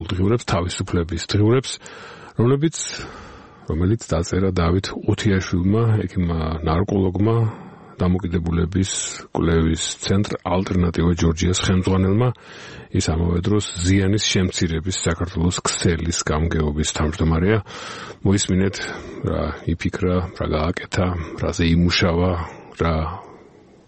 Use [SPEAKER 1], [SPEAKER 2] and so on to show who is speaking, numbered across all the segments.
[SPEAKER 1] დემოკრატიულ დღიურებს, თავისუფლების დღიურებს, რომელიც დაწერა დავით უთიაშვილმა, ექიმმა ნარკოლოგმა, დამოკიდებულების კვლევის ცენტრ ალტერნატივა ჯორჯიას ხელმძღვანელმა, ის ამავე დროს ზიანის შემცირების საქართველოს ქსელის გამგეობის თავმჯდომარეა. მოისმინეთ, რა იფიქრა, რა გააკეთა, რაზე იმუშავა, რა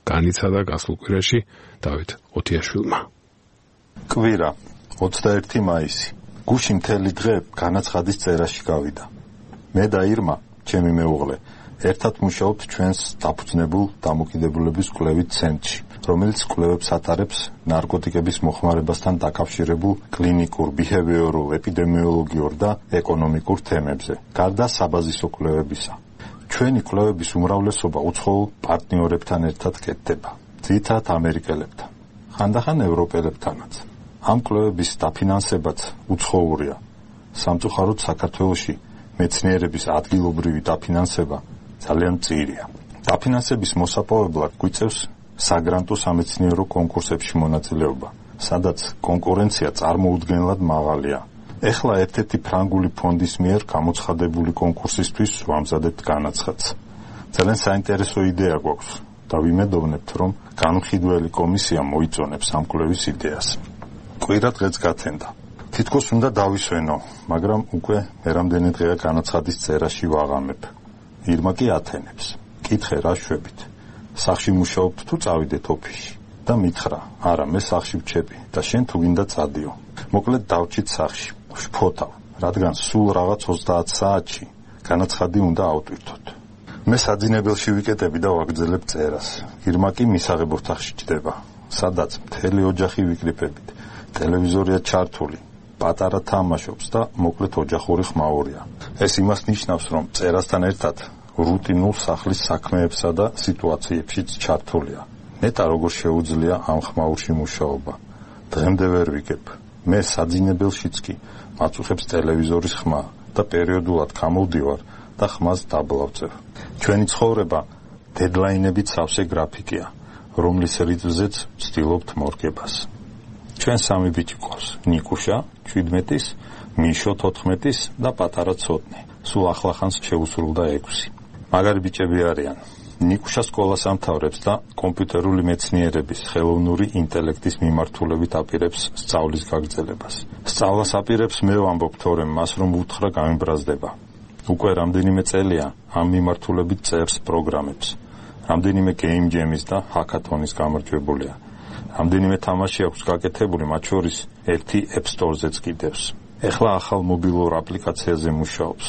[SPEAKER 1] განიცადა გასულ კვირაში დავით უთიაშვილმა.
[SPEAKER 2] კვირა 21 მაისი. გუში მთელი დღე განაცხადის წერაში გავიდა. მე და ირმა, ჩემი მეუღლე, ერთად მუშაობთ ჩვენს დაფუძნებულ დამოკიდებულების კვლევით ცენტრში, რომელიც კვლევებს ატარებს ნარკოტიკების მოხმარებასთან დაკავშირებულ კლინიკურ, ბიჰევიორულ, ეპიდემიოლოგიურ და ეკონომიკურ თემებზე, გარდა საბაზისო კვლევებისა. ჩვენი კვლევების უმრავლესობა უცხოურ პარტნიორებთან ერთად კეთდება, ძირითადად ამერიკელებთან, ხანდახან ევროპელებთანაც. ამ კვლევების დაფინანსებაც უცხოურია. სამწუხაროდ საქართველოში მეცნიერების ადგილობრივი დაფინანსება ძალიან მწირია. დაფინანსების მოსაპოვებლად გვიწევს საგრანტო სამეცნიერო კონკურსებში მონაწილეობა, სადაც კონკურენცია წარმოუდგენლად მაღალია. ეხლა ერთ-ერთი ფრანგული ფონდის მიერ გამოცხადებული კონკურსისთვის ვამზადებთ განაცხადს. ძალიან საინტერესო იდეა გვაქვს და ვიმედოვნებთ, რომ განმხედველი კომისია მოიწონებს ამ კვლევის იდეას. კვირა დღეც გათენდა. თითქოს უნდა დავისვენო, მაგრამ უკვე მერამდენი დღეა განაცხადის წერაში ვაღამებ. ირმა კი ათენებს. კითხე რა შვებით. სახში მუშაობთ თუ წავიდეთ ოფისში? და მითხრა, არა, მე სახში ვჩები და შენ თუ გინდა წადიო. მოკლედ დავჭით სახში. ვშფოთავ, რადგან სულ რაღაც 30 საათში განაცხადი უნდა ავტვირთოთ. მე საძინებელში ვიკეტები და ვაგრძელებ წერას. ირმა კი მისაღებ ოთახში ჯდება, სადაც მთელი ოჯახი ვიკრიფებით. ტელევიზორია ჩართული, პატარა თამაშობს და მოკლედ ოჯახური ხმაურია. ეს იმას ნიშნავს, რომ წერასთან ერთად რუტინულ სახლის საქმეებსა და სიტუაციებშიც ჩართულია. ნეტა როგორ შეუძლია ამ ხმაურში მუშაობა. დღემდე ვერ ვიგებ. მე საძინებელშიც კი მაწუხებს ტელევიზორის ხმა და პერიოდულად გამოვდივარ და ხმას დაბლავწევ. ჩვენი ცხოვრება დედლაინებით სავსე გრაფიკია, რომლის რიტმზეც ვცდილობთ მორგებას. ჩვენ სამი ბიჭი ყავს, ნიკუშა 17-ის, მიშო 14-ის და პატარა ცოტნე. სულ ახლახანს შეუსრულდა 6. მაგარი ბიჭები არიან. ნიკუშა სკოლას ამთავრებს და კომპიუტერული მეცნიერების, ხელოვნური ინტელექტის მიმართულებით აპირებს სწავლის გაგრძელებას. სწავლას აპირებს მე ვამბობ თორემ მას რომ უთხრა გამიბრაზდება. უკვე რამდენიმე წელია ამ მიმართულებით წერს პროგრამებს. რამდენიმე game jam-ის და hackathon-ის გამარჯვებულია. რამდენიმე თამაში აქვს გაკეთებული, მათ შორის ერთი App Store-ზეც კიდევს. ეხლა ახალ მობილურ აპლიკაციაზე მუშაობს,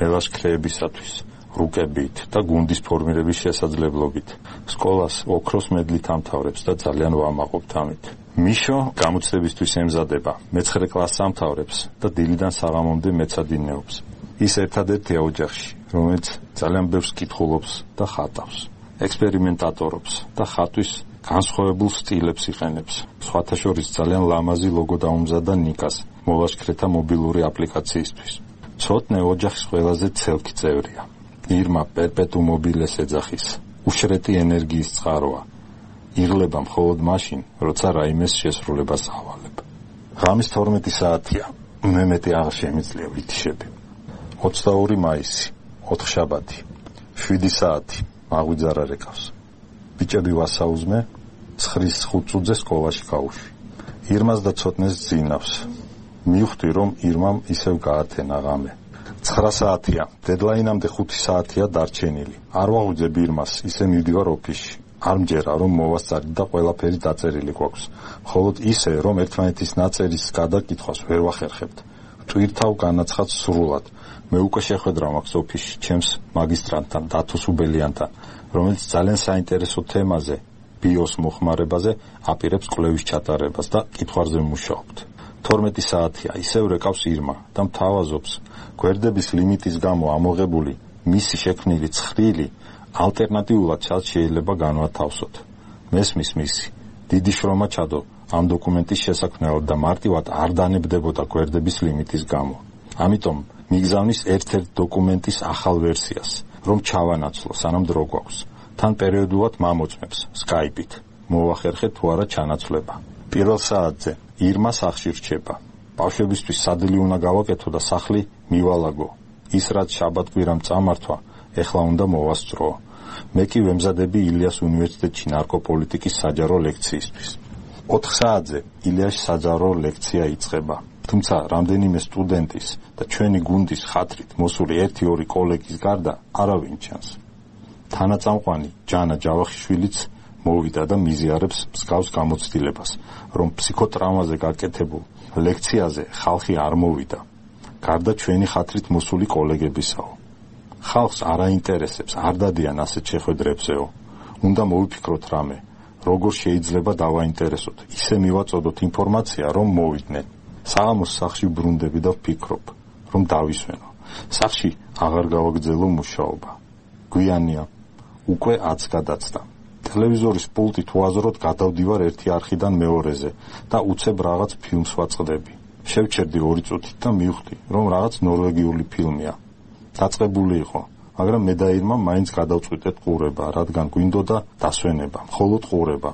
[SPEAKER 2] მელაშქრეებისათვის, რუკებით და გუნდის ფორმირების შესაძლებლობით. სკოლას ოქროს მედლით ამთავრებს და ძალიან ვამაყობთ ამით. მიშო გამოცდებისთვის ემზადება, მე-9 კლასს ამთავრებს და დილიდან საღამომდე მეცადინეობს. ის ერთადერთია ოჯახში, რომელიც ძალიან ბევრს კითხულობს და ხატავს, ექსპერიმენტატორობს და ხატვის განსხვავებულ სტილებს იყენებს. სხვათა შორის ძალიან ლამაზი ლოგო დაუმზადა ნიკას მოლაშქრეთა მობილური აპლიკაციისთვის. ცოტნე ოჯახის ყველაზე ცელკი წევრია. ირმა პერპეტუ მობილეს ეძახის. უშრეთი ენერგიის წყაროა. იღლება მხოლოდ მაშინ, როცა რაიმეს შესრულებას ავალებ. ღამის 12 საათია. მე მეტი აღარ შემიძლია ვითიშები. 22 მაისი, 4 შაბათი, 7 საათი, მაღვიძარა რეკავს. ბიჭები ვასაუზმე, 9:05 წუთზე სკოლაში გავუშვი. ირმას და ცოტნეს ძინავს. მივხვდი, რომ ირმამ ისევ გაათენა ღამე. 9 საათია, დედლაინამდე 5 საათია დარჩენილი. არ ვაღვიძებ ირმას, ისე მივდივარ ოფისში. არ მჯერა, რომ მოვასწარი და ყველაფერი დაწერილი გვაქვს. მხოლოდ ისე, რომ ერთმანეთის ნაწერის გადაკითხვას ვერ ვახერხებთ. ვტვირთავ განაცხადს სრულად. მე უკვე შეხვედრა მაქვს ოფისში ჩემს მაგისტრანტთან, დათო სუბელიანთან, რომელიც ძალიან საინტერესო თემაზე, ბიოს მოხმარებაზე აპირებს კვლევის ჩატარებას და კითხვაზე მუშაობთ. 12 საათია, ისევ რეკავს ირმა და მთავაზობს, გვერდების ლიმიტის გამო ამოღებული მისი შექმნილი ცხრილი ალტერნატიულად შეიძლება განვათავსოთ. მესმის მისი. დიდი შრომა ჩადო ამ დოკუმენტის შესაქმნელად და მარტივად არ დანებდებოდა გვერდების ლიმიტის გამო. ამიტომ მიგზავნის ერთ-ერთ დოკუმენტის ახალ ვერსიას, რომ ჩავანაცვლო, სანამ დრო გვაქვს. თან პერიოდულად მამოწმებს Skype-ით. მოვახერხეთ თუ არა ჩანაცვლება. პირველ საათზე ირმა სახში რჩება. ბავშვებისთვის სადილი უნდა გავაკეთო და სახლი მივალაგო. ის რაც შაბათ-კვირამ წამართვა, ეხლა უნდა მოვასწრო. მე კი ვემზადები ილიას უნივერსიტეტში ნარკოპოლიტიკის საჯარო ლექციისთვის. 4 საათზე ილიაში საჯარო ლექცია იწყება. თუმცა რამდენიმე სტუდენტის და ჩვენი გუნდის ხათრით მოსული 1-2 კოლეგის გარდა არავინ ჩანს. თანაწამყვანი ჯანა ჯავახიშვილიც მოვიდა და მიზიარებს მსგავს გამოცდილებას, რომ ფსიქოტრაუმაზე გაკეთებულ ლექციაზე ხალხი არ მოვიდა. გარდა ჩვენი ხათრით მოსული კოლეგებისაო. ხალხს არ აინტერესებს, არ დადიან ასეთ შეხვედრებზეო. უნდა მოვიფიქროთ რამე, როგორ შეიძლება დავაინტერესოთ, ისე მივაწოდოთ ინფორმაცია, რომ მოვიდნენ. საღამოს სახლში ბრუნდები და ვფიქრობ, რომ დავისვენო. სახლში აღარ გავაგრძელო მუშაობა. გვიანია, უკვე 10 გადაცდა. ტელევიზორის პულტით უაზროდ გადავდივარ ერთი არხიდან მეორეზე და უცებ რაღაც ფილმს ვაწყდები. შევჩერდი 2 წუთით და მივხვდი, რომ რაღაც ნორვეგიული ფილმია. დაწყებული იყო, მაგრამ მე და ირმა მაინც გადავწყვიტეთ ყურება, რადგან გვინდოდა დასვენება, მხოლოდ ყურება.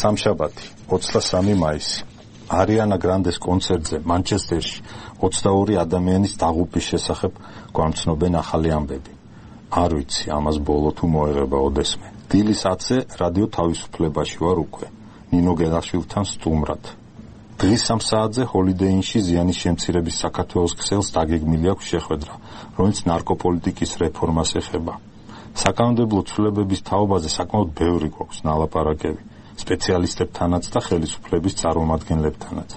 [SPEAKER 2] სამშაბათი, 23 მაისი. არიანა გრანდეს კონცერტზე მანჩესტერში 22 ადამიანის დაღუპვის შესახებ გვამცნობენ ახალი ამბები. არ ვიცი, ამას ბოლო თუ მოეღება ოდესმე. დილის 10-ზე რადიო თავისუფლებაში ვარ უკვე, ნინო გელაშვილთან სტუმრად. დღის 3 საათზე ჰოლიდეი ინში ზიანის შემცირების საქართველოს ქსელს დაგეგმილი აქვს შეხვედრა, რომელიც ნარკოპოლიტიკის რეფორმას ეხება. საკანონმდებლო ცვლილებების თაობაზე საკმაოდ ბევრი გვაქვს ნალაპარაკები, სპეციალისტებთანაც და ხელისუფლების წარმომადგენლებთანაც.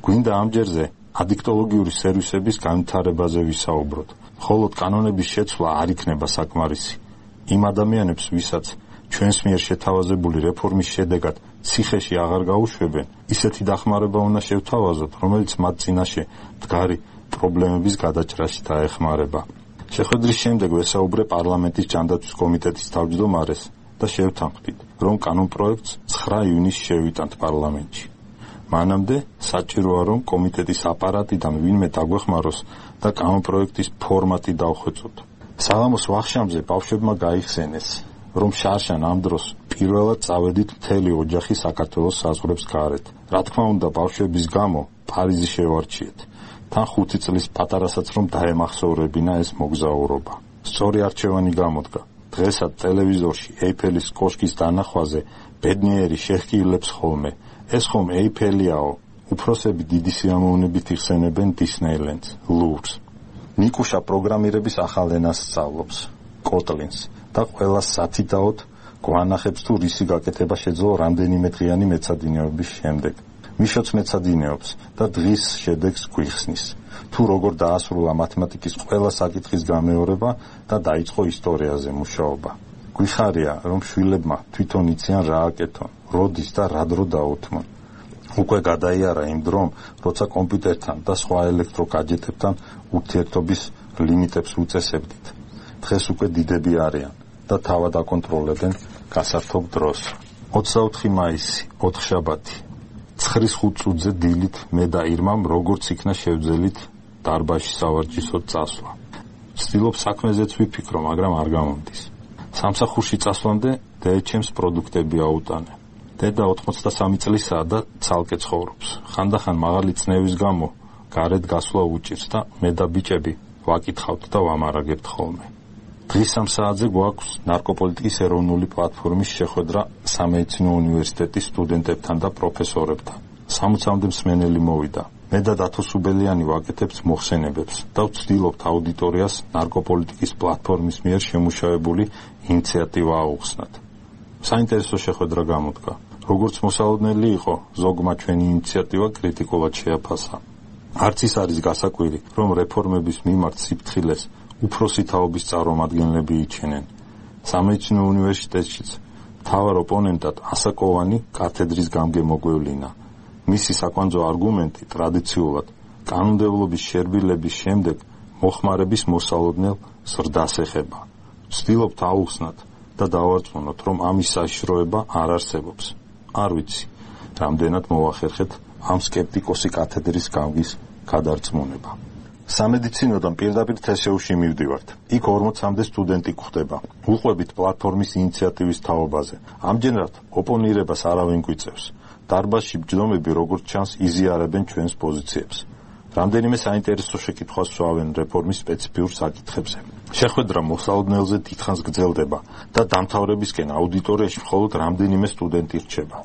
[SPEAKER 2] გვინდა ამჯერზე ადიქტოლოგიური სერვისების განვითარებაზე ვისაუბროთ. მხოლოდ კანონების შეცვლა არ იქნება საკმარისი. იმ ადამიანებს, ვისაც ჩვენს მიერ შეთავაზებული რეფორმის შედეგად ციხეში აღარ გაუშვებენ, ისეთი დახმარება უნდა შევთავაზოთ, რომელიც მათ წინაშე მდგარი პრობლემების გადაჭრაში დაეხმარება. შეხვედრის შემდეგ ვესაუბრე პარლამენტის ჯანდაცვის კომიტეტის თავმჯდომარეს და შევთანხმდით, რომ კანონპროექტს 9 ივნისს შევიტანთ პარლამენტში. მანამდე საჭიროა, რომ კომიტეტის აპარატიდან ვინმე დაგვეხმაროს და კანონპროექტის ფორმატი დავხვეწოთ. საღამოს ვახშამზე ბავშვებმა გაიხსენეს, რომ შარშან ამ დროს პირველად წავედით მთელი ოჯახი საქართველოს საზღვრებს გარეთ. რა თქმა უნდა, ბავშვების გამო პარიზი შევარჩიეთ. თან 5 წლის პატარასაც რომ დაემახსოვრებინა ეს მოგზაურობა. სწორი არჩევანი გამოდგა. დღესაც ტელევიზორში ეიფელის კოშკის დანახვაზე ბედნიერი შეჰკილებს ხოლმე. ეს ხომ ეიფელიაო, უფროსები დიდი სიამოვნებით იხსენებენ დისნეილენდს, ლუვრს. ნიკუშა პროგრამირების ახალ ენას სწავლობს, კოტლინს, და ყველას სათითაოდ გვანახებს თუ რისი გაკეთება შეძლო რამდენიმე დღიანი მეცადინეობის შემდეგ. მიშოც მეცადინეობს და დღის შედეგს გვიხსნის. თუ როგორ დაასრულა მათემატიკის ყველა საკითხის გამეორება და დაიწყო ისტორიაზე მუშაობა. გვიხარია, რომ შვილებმა თვითონ იციან რა აკეთონ, როდის და რა დრო დაუთმონ. უკვე გადაიარა იმ დრომ, როცა კომპიუტერთან და სხვა ელექტროგადჟეტებთან ურთიერთობის ლიმიტებს უწესებდით. დღეს უკვე დიდები არიან და თავად აკონტროლებენ გასართობ დროს. 24 მაისი, 4 შაბათი. 9:05 წუთზე დილით მე და ირმამ როგორც იქნა შევძელით დარბაზში სავარჯიშოდ წასვლა. ვცდილობ საქმეზეც ვიფიქრო, მაგრამ არ გამომდის. სამსახურში წასვლამდე დეეჩემს პროდუქტები აუტანე. დედა 83 წლისაა და ცალკე ცხოვრობს. ხანდახან მაღალი წნევის გამო გარეთ გასვლა უჭირს და მე და ბიჭები ვაკითხავთ და ვამარაგებთ ხოლმე. დღის 3 საათზე გვაქვს ნარკოპოლიტიკის ეროვნული პლატფორმის შეხვედრა სამედიცინო უნივერსიტეტის სტუდენტებთან და პროფესორებთან. 60-მდე მსმენელი მოვიდა. მე და დათო სუბელიანი ვაკეთებთ მოხსენებებს და ვცდილობთ აუდიტორიას ნარკოპოლიტიკის პლატფორმის მიერ შემუშავებული ინიციატივა აუხსნათ. საინტერესო შეხვედრა გამოდგა. როგორც მოსალოდნელი იყო, ზოგმა ჩვენი ინიციატივა კრიტიკულად შეაფასა. არც ის არის გასაკვირი, რომ რეფორმების მიმართ სიფრთხილეს უფროსი თაობის წარმომადგენლები იჩენენ. სამედიცინო უნივერსიტეტშიც მთავარ ოპონენტად ასაკოვანი კათედრის გამგემოგვევლინა. მისი საკვანძო არგუმენტი ტრადიციულად კანონმდებლობის შერბილების შემდეგ მოხმარების მოსალოდნელ ზრდას ეხება. ვცდილობთ აუხსნათ და დავარწმუნოთ, რომ ამის საშიშროება არ არსებობს. არ ვიცი, რამდენად მოვახერხეთ ამ სკეპტიკოსი კათედრის გამგის გადარწმუნება. სამედიცინოდან პირდაპირ თსუ-ში მივდივართ. იქ 40-მდე სტუდენტი გვხვდება. უყვებით პლატფორმის ინიციატივის თაობაზე. ამჯერად ოპონირებას არავინ გვიწევს. დარბაზში ბჯდომები, როგორც ჩანს, იზიარებენ ჩვენს პოზიციებს. რამდენიმე საინტერესო შეკითხვას სვავენ რეფორმის სპეციფიურ საკითხებზე. შეხვედრა მოსალოდნელზე დიდხანს გრძელდება და დამთავრებისკენ აუდიტორიაში მხოლოდ რამდენიმე სტუდენტი რჩება.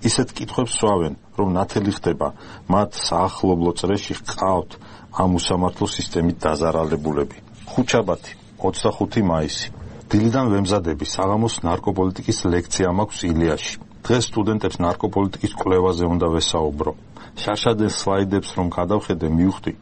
[SPEAKER 2] ისეთ კითხვებს სვავენ, რომ ნათელი ხდება მათ საახლობლო წრეში ჰყავთ ამ უსამართლო სისტემით დაზარალებულები. ხუთშაბათი, 25 მაისი. დილიდან ვემზადები საღამოს ნარკოპოლიტიკის ლექცია მაქვს ილიაში. დღეს სტუდენტებს ნარკოპოლიტიკის კვლევაზე უნდა ვესაუბრო. შარშადელ სლაიდებს რომ გადავხედე, მივხვდი,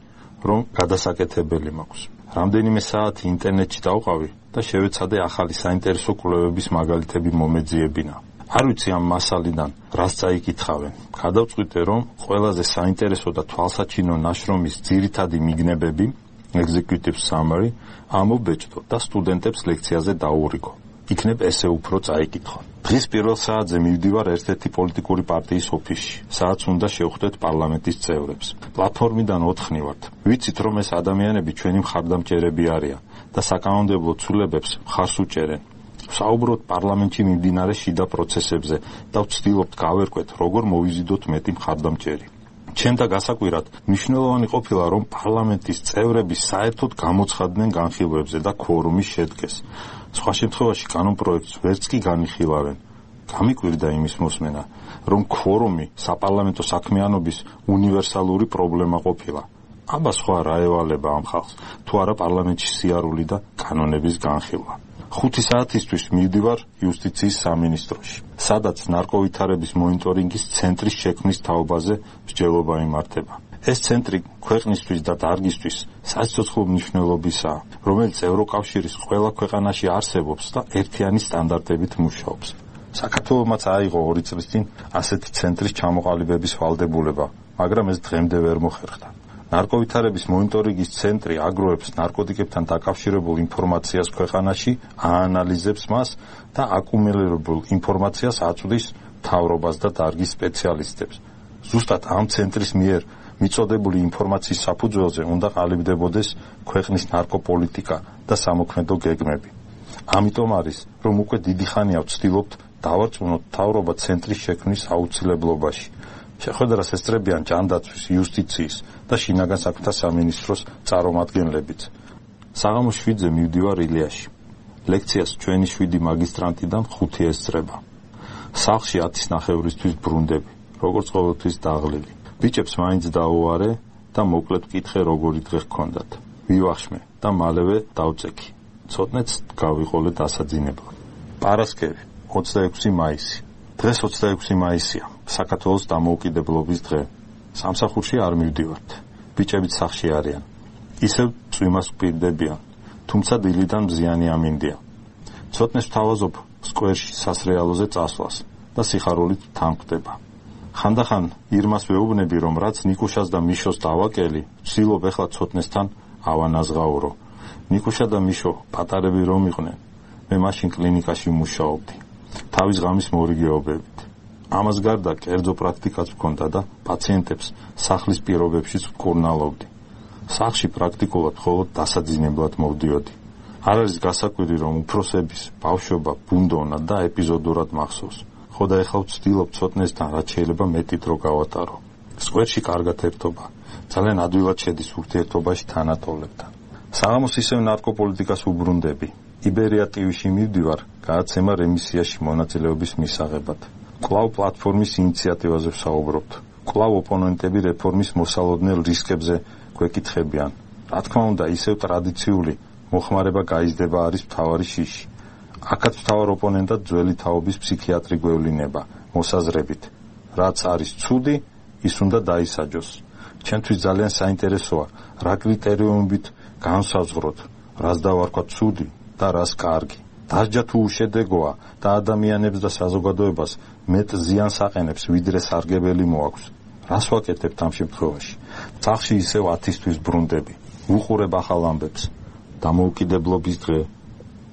[SPEAKER 2] რომ გადასაკეთებელი მაქვს. რამდენიმე საათი ინტერნეტში დავყავი და შევეცადე ახალი საინტერესო კვლევების მაგალითები მომეძიებინა. არ ვიცი ამ მასალიდან რას წაიკითხავენ. გადავწყვიტე, რომ ყველაზე საინტერესო და თვალსაჩინო ნაშრომის ძირითადი მიგნებები, executive summary, ამობეჭდო და სტუდენტებს ლექციაზე დაურიგო. იქნებ ესე უფრო წაიკითხო. დღის პირველ საათზე მივდივარ ერთ-ერთი პოლიტიკური პარტიის ოფისში, სადაც უნდა შევხვდეთ პარლამენტის წევრებს. პლატფორმიდან ოთხნივართ. ვიცით, რომ ეს ადამიანები ჩვენი მხარდამჭერები არიან და საკანონმდებლო ცვლილებებს მხარს უჭერენ. ვსაუბრობთ პარლამენტში მიმდინარე შიდა პროცესებზე და ვცდილობთ გავერკვეთ, როგორ მოვიზიდოთ მეტი მხარდამჭერი. ჩემთა გასაკვირად მნიშვნელოვანი ყოფილა, რომ პარლამენტის წევრები საერთოდ გამოცხადდნენ განხილვებზე და ქორუმი შედგეს. სხვა შემთხვევაში კანონპროექტს ვერც კი განიხილავენ. გამიკვირდა იმის მოსმენა, რომ ქორუმი საპარლამენტო საქმიანობის უნივერსალური პრობლემა ყოფილა. აბა სხვა რა ევალება ამ ხალხს, თუ არა პარლამენტში სიარული და კანონების განხილვა. 5 საათისთვის მივდივარ იუსტიციის სამინისტროში, სადაც ნარკოვითარების მონიტორინგის ცენტრის შექმნის თაობაზე მსჯელობა იმართება. ეს ცენტრი ქვეყნისთვის და დარგისთვის სასიცოცხლო მნიშვნელობისაა, რომელიც ევროკავშირის ყველა ქვეყანაში არსებობს და ერთიანი სტანდარტებით მუშაობს. საქართველოსაც აიღო 2 წლის წინ ასეთი ცენტრის ჩამოყალიბების ვალდებულება, მაგრამ ეს დღემდე ვერ მოხერხდა. ნარკოვითარების მონიტორინგის ცენტრი აგროვებს ნარკოტიკებთან დაკავშირებულ ინფორმაციას ქვეყანაში, აანალიზებს მას და აკუმულირებულ ინფორმაციას აწვდის მთავრობას და დარგის სპეციალისტებს. ზუსტად ამ ცენტრის მიერ მიწოდებული ინფორმაციის საფუძველზე უნდა ყალიბდებოდეს ქვეყნის ნარკოპოლიტიკა და სამოქმედო გეგმები. ამიტომ არის, რომ უკვე დიდი ხანია ვცდილობთ დავარწმუნოთ მთავრობა ცენტრის შექმნის აუცილებლობაში. შეხვედრას ესწრებიან ჯანდაცვის, იუსტიციის და შინაგან საქმეთა სამინისტროს წარმომადგენლებიც. საღამოს 7-ზე მივდივარ ილიაში. ლექციას ჩვენი 7 მაგისტრანტიდან 5 ესწრება. სახლში 10 ნახევრისთვის ბრუნდები, როგორც ყოველთვის დაღლილი. ბიჭებს მაინც დაუვარე და მოკლედ ვკითხე, როგორი დღე ჰქონდათ. ვივახშმე და მალევე დავწექი. ცოტნეც გავიყოლე დასაძინებლად. პარასკევი, 26 მაისი. დღეს 26 მაისია, საქართველოს დამოუკიდებლობის დღე. სამსახურში არ მივდივართ. ბიჭებიც სახლში არიან. ისევ წვიმას ვპირდებიან, თუმცა დილიდან მზიანი ამინდია. ცოტნეს ვთავაზობ სკვერში სასრეალოზე წასვლას და სიხარულით თანხდება. ხანდახან ირმას ვეუბნები, რომ რაც ნიკუშას და მიშოს დავაკელი, ვცდილობ ეხლა ცოტნესთან ავანაზღაურო. ნიკუშა და მიშო პატარები რომ იყვნენ, მე მაშინ კლინიკაში მუშაობდი. თავის ღამის მორიგეობებით. ამას გარდა კერძო პრაქტიკაც მქონდა და პაციენტებს სახლის პირობებშიც ვკურნალობდი. სახლში პრაქტიკულად მხოლოდ დასაძინებლად მოვდიოდი. არ არის გასაკვირი, რომ უფროსების ბავშვობა ბუნდოვნა და ეპიზოდურად მახსოვს. ხო და ეხლა ვცდილობ ცოტნესთან რაც შეიძლება მეტი დრო გავატარო. სკვერში კარგად ერთობა. ძალიან ადვილად შედის ურთიერთობაში თანატოლებთან. საღამოს ისევ ნარკოპოლიტიკას უბრუნდები. იბერია ტივში მივდივარ გადაცემა რემისიაში მონაწილეობის მისაღებად. კვლავ პლატფორმის ინიციატივაზე ვსაუბრობთ. კვლავ ოპონენტები რეფორმის მოსალოდნელ რისკებზე გვეკითხებიან. რა თქმა უნდა, ისევ ტრადიციული მოხმარება გაიზრდება არის მთავარი შიში. აქაც მთავარ ოპონენტად ძველი თაობის ფსიქიატრი გვევლინება, მოსაზრებით. რაც არის ცუდი, ის უნდა დაისაჯოს. ჩემთვის ძალიან საინტერესოა, რა კრიტერიუმებით განსაზღვროთ, რას დავარქვა ცუდი და რას კარგი. დასჯა თუ უშედეგოა და ადამიანებს და საზოგადოებას მეტ ზიანს აყენებს, ვიდრე სარგებელი მოაქვს. რას ვაკეთებთ ამ შემთხვევაში? სახლში ისევ 10-თვის ბრუნდები. ვუყურებ ახალ ამბებს. დამოუკიდებლობის დღე,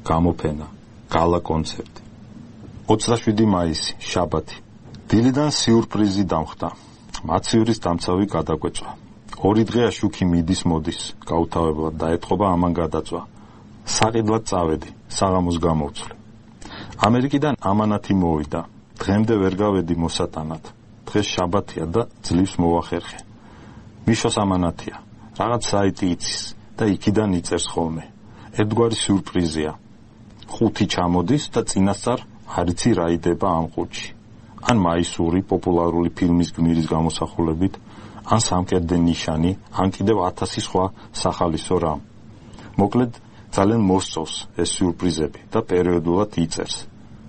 [SPEAKER 2] გამოფენა, გალა კონცერტი. 27 მაისი, შაბათი. დილიდან სიურპრიზი დამხდა. მაცივრის დამცავი გადაგვეწვა. 2 დღეა შუქი მიდის მოდის, გაუთავებლად დაეთყობა ამან გადაწვა. საყიდლად წავედი, საღამოს გამოვცვლი. ამერიკიდან ამანათი მოვიდა. დღემდე ვერ გავედი მოსატანად. დღეს შაბათია და ძლივს მოვახერხე. მიშოს ამანათია, რაღაც საიტი იცის და იქიდან იწერს ხოლმე. ერთგვარი სიურპრიზია. 5 ჩამოდის და წინასწარ არ იცი რა იდება ამ ყუთში. ან მაისური პოპულარული ფილმის გმირის გამოსახულებით, ან სამკერდე ნიშანი, ან კიდევ 1000 სხვა სახალისო რამ. მოკლედ, ძალიან მოსწოვს ეს სიურპრიზები და პერიოდულად იწერს.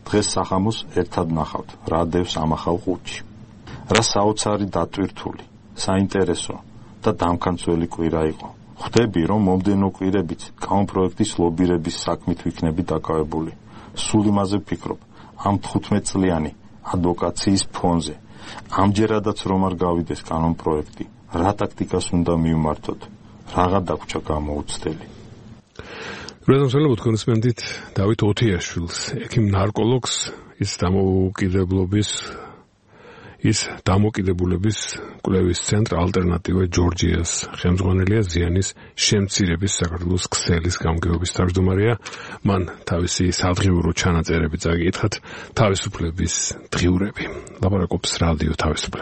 [SPEAKER 2] დღეს სახამოს ერთად ნახავთ, რა დევს ამ ახალ ყუთში. რა საოცარი დატვირთული, საინტერესო და დამქანცველი კვირა იყო. ხვდები, რომ მომდენო კვირებიც კანონპროექტის ლობირების საქმით ვიქნები დაკავებული. სულ იმაზე ვფიქრობ, ამ 15 წლიანი ადვოკაციის ფონზე. ამჯერადაც რომ არ გავიდეს კანონპროექტი, რა ტაქტიკას უნდა მივმართოთ, რაღა დაგვჭა გამოუცდელი.
[SPEAKER 1] რეზონსელობთ კონსპენდით დავით ოთიაშვილს, ექიმ ნარკოლოგს, ის დამოკიდებულების კვლევის ცენტრ ალტერნატივა ჯორჯიას ხელმძღვანელია, ზიანის შემცირების საქართველოს ქსელის გამგეობის თავმჯდომარეა. მან თავისი სადღიურო ჩანაწერები წაკითხათ, თავისუფლების დღიურები. ლაპარაკობს რადიო თავისუფლება.